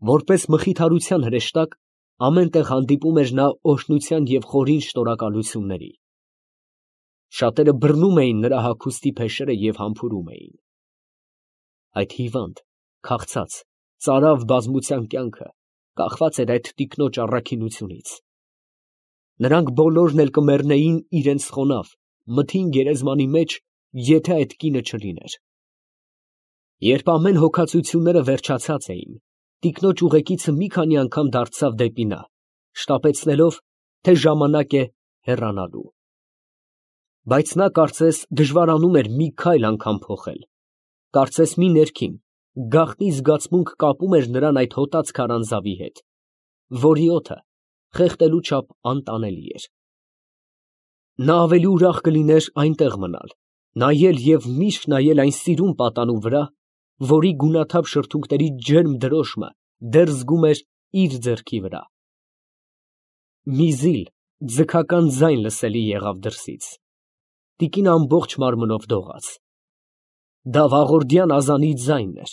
Որպես մխիթարության հրեշտակ, ամեն տեղ հանդիպում էր նա օրհնության և խորին շնորհակալությունների։ Շատերը բռնում էին նրա հագուստի փեշերը և համբուրում էին։ Այդ հիվանդ, քաղցած, ծարավ բազմության կյանքը կախված էր այդ տիկնոջ առաքինությունից։ Նրանք բոլորն էլ կմեռնեին իրենց խոնավ, մթին գերեզմանի մեջ, եթե այդ կինը չլիներ։ Երբ ամեն հոգացությունները վերջացած էին, տիկնոջ ուղեկիցը մի քանի անգամ դարձավ դեպի նա, շտապեցնելով, թե ժամանակ է հեռանալու։ Բայց նա կարծես դժվարանում էր մի քայլ անգամ փոխել, կարծես մի ներքին, գաղտնի զգացմունք կապում էր նրան այդ հոտած քարանձավի հետ, որի օդը խեղդելու չափ անտանելի էր։ Նա ավելի ուրախ կլիներ այնտեղ մնալ, նայել և միշտ նայել այն սիրուն պատանու վրա, որի գունաթափ շրթունքների ջերմ դրոշմը դեռ զգում էր իր ձեռքի վրա։ Մի զիլ, ձգական ձայն լսելի եղավ դրսից։ Տիկինը ամբողջ մարմնով դողաց։ Դա վաղորդյան ազանի ձայնն էր։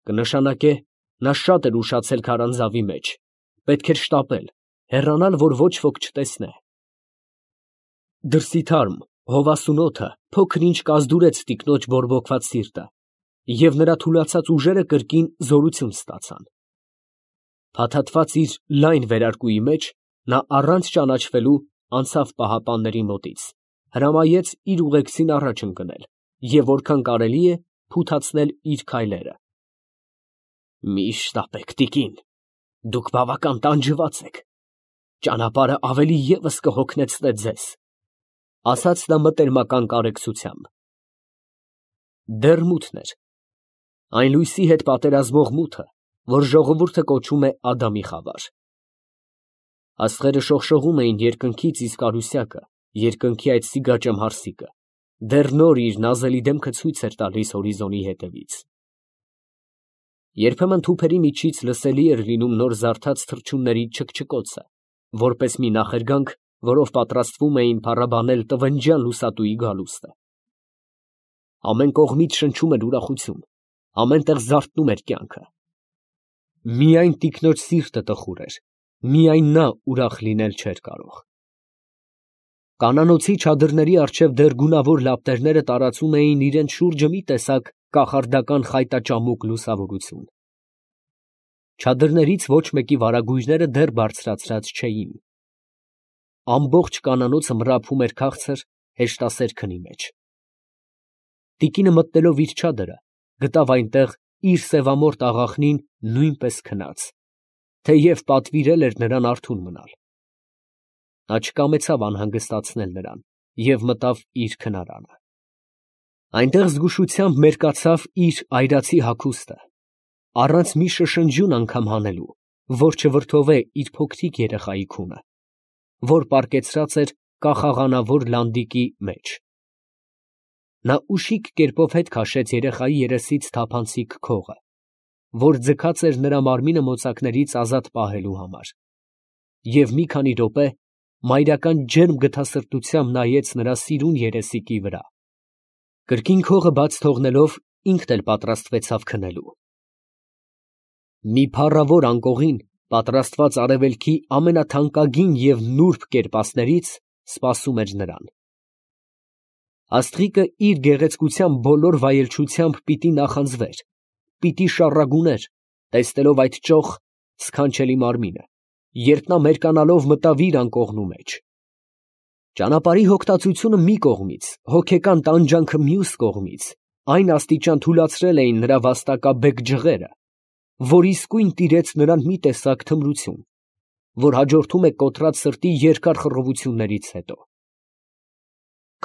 Կնշանակե, նա շատ էր ուշացել քարանձավի մեջ, պետք էր շտապել, հեռանալ, որ ոչ ոք չտեսնե։ Դրսի թարմ, հովասուն օդը փոքր-ինչ կազդուրեց տիկնոջ բորբոքված սիրտը, և նրա թուլացած ուժերը կրկին զորություն ստացան։ Փաթաթված իր լայն վերարկուի մեջ, նա առանց ճանաչվելու անցավ պահապանների մոտից, հրամայեց իր ուղեկցին առաջ ընկնել և որքան կարելի է փութացնել իր քայլերը։ Մի շտապեք, տիկին, դուք բավական տանջված եք, ճանապարհը ավելի ևս կհոգնեցնե ձեզ, ֊ ասաց նա մտերմական կարեկցությամբ։ Դեռ մութն էր, այն լույսի հետ պատերազմող մութը, որ ժողովուրդը կոչում է Ադամի խավար։ Աստղերը շողշողում էին երկնքից, իսկ արուսյակը, երկնքի այդ սիգաճամհարսիկը, դեռ նոր իր նազելի դեմքը ցույց էր տալիս հորիզոնի ետևից։ Երբեմն թուփերի միջից լսելի էր լինում նոր զարթած թռչունների չքչկոցը, որպես մի նախերգանք, որով պատրաստվում էին փառաբանել տվնջյան լուսատուի գալուստը։ Ամեն կողմից շնչում էր ուրախություն, ամեն տեղ զարթնում էր կյանքը։ Միայն տիկնոջ սիրտը տխուր էր, միայն նա ուրախ լինել չէր կարող։ Կանանոցի չադրների առջև դեռ գունավոր լապտերները տարածում էին իրենց շուրջը մի տեսակ կախարդական խայտաճամուկ լուսավորություն։ Չադրներից ոչ մեկի վարագույրները դեռ բարձրացրած չէին։ Ամբողջ կանանոցը մռափում էր քաղցր, հեշտասեր քնի մեջ։ Տիկինը մտնելով իր չադրը, գտավ այնտեղ իր սևամորթ աղախնին նույնպես քնած, թեև պատվիրել էր նրան արթուն մնալ։ Նա չկամեցավ անհանգստացնել նրան և մտավ իր քնարանը։ Այնտեղ զգուշությամբ մերկացավ իր այրացի հագուստը, առանց մի շշնջյուն անգամ հանելու, որ չվրդովե իր փոքրիկ երեխայի քունը, որ պառկեցրած էր կախաղանավոր լանդիկի մեջ։ Նա ուշիք կերպով հետ քաշեց երեխայի երեսից թափանցիկ քողը, որ ձգած էր նրա մարմինը մոծակներից ազատ պահելու համար, և մի քանի րոպե մայրական ջերմ գթասրտությամբ նայեց նրա սիրուն երեսիկի վրա։ Կրկին քողը բաց թողնելով, ինքն էլ պատրաստվեցավ քնելու։ Մի փառավոր անկողին, պատրաստված արևելքի ամենաթանկագին և նուրբ կերպասներից, սպասում էր նրան։ Աստղիկը իր գեղեցկության բոլոր վայելչությամբ պիտի նախանձվեր, պիտի շառագուներ, տեսնելով այդ ճոխ, սքանչելի մարմինը, երբ նա մերկանալով մտավ իր անկողնու մեջ։ Ճանապարհի հոգտածությունը մի կողմից, հոգեկան տանջանքը մյուս կողմից, այն աստիճան թուլացրել էին նրա վաստակաբեկ ջղերը, որ իսկույն տիրեց նրան մի տեսակ թմրություն, որ հաջորդում է կոտրած սրտի երկար խռովություններից հետո։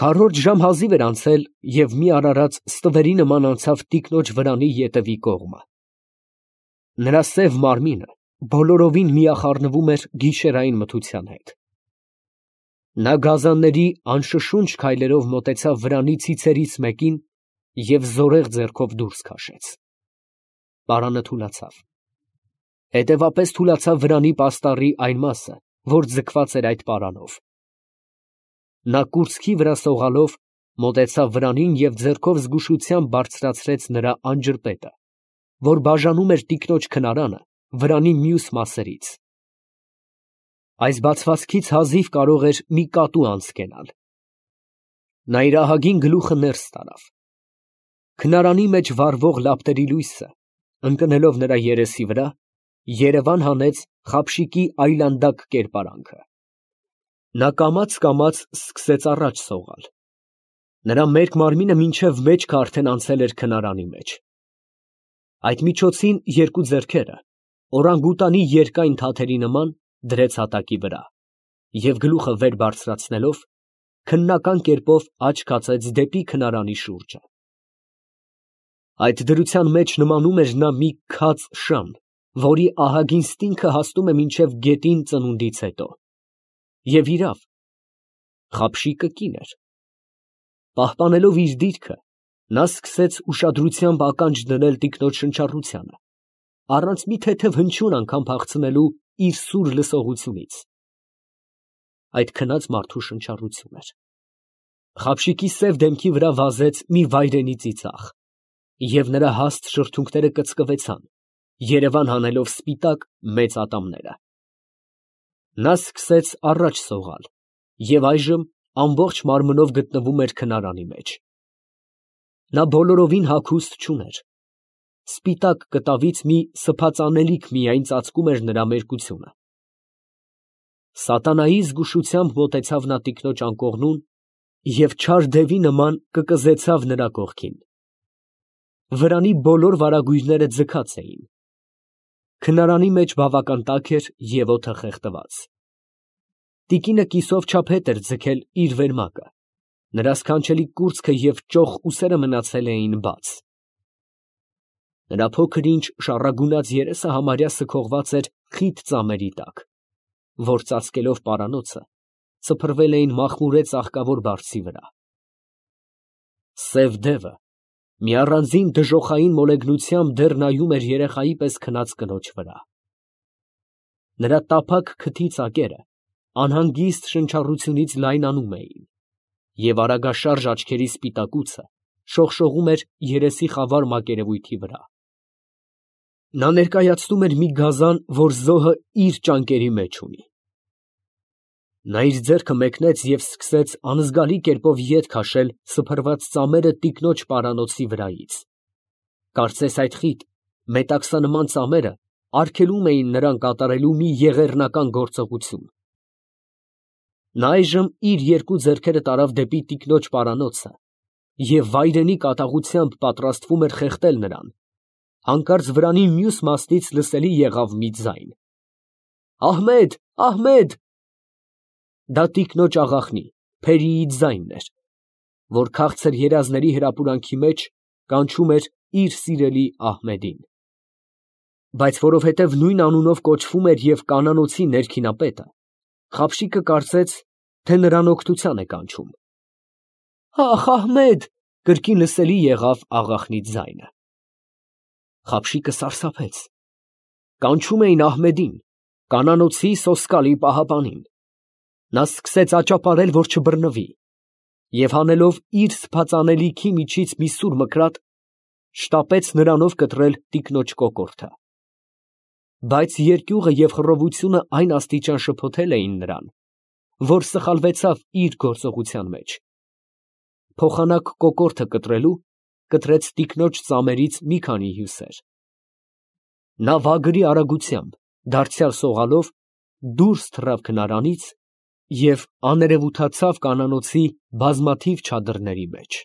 Քառորդ ժամ հազիվ էր անցել, և մի արարած ստվերի նման անցավ տիկնոջ վրանի ետևի կողմը։ Նրա սև մարմինը բոլորովին միախառնվում էր գիշերային մթության հետ։ Նա գազանների անշշունչ քայլերով մոտեցավ վրանի ցիցերից մեկին և զորեղ ձեռքով դուրս քաշեց։ Պարանը թուլացավ։ Հետևապես թուլացավ վրանի պաստառի այն մասը, որ ձգված էր այդ պարանով։ Նա կուրծքի վրա սողալով մոտեցավ վրանին և ձեռքով զգուշությամբ բարձրացրեց նրա անջրպետը, որ բաժանում էր տիկնոջ քնարանը վրանի մյուս մասերից։ Այս բացվածքից հազիվ կարող էր մի կատու անցկենալ։ Նա իր ահագին գլուխը ներս տարավ։ Քնարանի մեջ վառվող լապտերի լույսը, ընկնելով նրա երեսի վրա, երևան հանեց խապշիկի այլանդակ կերպարանքը։ Նա կամաց սկսեց առաջ սողալ։ Նրա մերկ մարմինը մինչև մեջքը արդեն անցել էր քնարանի մեջ։ Այդ միջոցին երկու ձեռքերը, օրանգուտանի երկայն թաթերի նման, դրեց հատակի վրա և գլուխը վեր բարձրացնելով, քննական կերպով աչք հացեց դեպի քնարանի շուրջը։ Այդ դրության մեջ նմանում էր նա մի քաց շան, որի ահագին ստինգը հասնում է մինչև գետին ծնունդից հետո։ Եվ իրավ, խապշիկը կին էր։ Պահպանելով իր դիրքը, նա սկսեց ուշադրությամբ ականջ դնել տիկնոջ շնչառությանը, առանց մի թեթև հնչյուն անգամ փախցնելու իր սուր լսողությունից։ Այդ քնած մարդու շնչառություն էր։ Խապշիկի սև դեմքի վրա վազեց մի վայրենի ծիծաղ, և նրա հաստ շրթունքները կծկվեցան, երևան հանելով սպիտակ մեծ ատամները։ Նա սկսեց առաջ սողալ և այժմ ամբողջ մարմնով գտնվում էր քնարանի մեջ։ Նա բոլորովին հագուստ չուներ։ Սպիտակ կտավից մի սփածանելիք միայն ծածկում էր նրա մերկությունը։ Սատանայի զգուշությամբ մոտեցավ նա տիկնոջ անկողնուն և չար դևի նման կկզեցավ նրա կողքին։ Վրանի բոլոր վարագույրները ձգած էին։ Քնարանի մեջ բավական տաք էր և օդը խեղդված։ Տիկինը կիսով չափ հետ էր ձգել իր վերմակը, նրա սքանչելի կուրծքը և ճոխ ուսերը մնացել էին բաց։ Նրա փոքր-ինչ շառագունած երեսը համարյա սքողված էր խիտ ծամերի տակ, որ ծածկելով պարանոցը, սփռվել էին մախմուրե ծաղկավոր բարձի վրա։ Սև դևը մի առանձին դժոխային մոլեգնությամբ դեռ նայում էր երեխայի պես քնած կնոջ վրա։ Նրա տափակ քթի ծակերը անհանգիստ շնչառությունից լայնանում էին, և արագաշարժ աչքերի սպիտակուցը շողշողում էր երեսի խավար մակերևույթի վրա։ Նա ներկայացնում էր մի գազան, որ զոհը իր ճանկերի մեջ ունի։ Նա իր ձեռքը մեկնեց և սկսեց անզգալի կերպով ետ քաշել սփռված ծամերը տիկնոջ պարանոցի վրայից։ Կարծես այդ խիտ, մետաքսանման ծամերը արգելում էին նրան կատարելու մի եղեռնական գործողություն։ Նա այժմ իր երկու ձեռքերը տարավ դեպի տիկնոջ պարանոցը և վայրենի կատաղությամբ պատրաստվում էր խեղդել նրան, հանկարծ վրանի մյուս մասնից լսելի եղավ մի ձայն. «Ահմեդ, Ահմեդ»։ Դա տիկնոջ աղախնի Փերիի ձայնն էր, որ քաղցր երազների հրապուրանքի մեջ կանչում էր իր սիրելի Ահմեդին։ Բայց որովհետև նույն անունով կոչվում էր և կանանոցի ներքինապետը, խապշիկը կարծեց, թե նրան օգնության է կանչում։ «Ախ, Ահմեդ», կրկին լսելի եղավ աղախնի ձայնը։ Խապշիկը սարսափեց։ Կանչում էին Ահմեդին, կանանոցի սոսկալի պահապանին։ Նա սկսեց աճապարել, որ չբռնվի, և հանելով իր սփածանելիքի միջից մի սուր մկրատ, շտապեց նրանով կտրել տիկնոջ կոկորդը։ Բայց երկյուղը և խռովությունը այն աստիճան շփոթել էին նրան, որ սխալվեցավ իր գործողության մեջ։ Փոխանակ կոկորդը կտրելու, կտրեց տիկնոջ ծամերից մի քանի հյուսեր։ Նա վագրի արագությամբ, դարձյալ սողալով, դուրս թռավ քնարանից և աներևութացավ կանանոցի բազմաթիվ չադրների մեջ։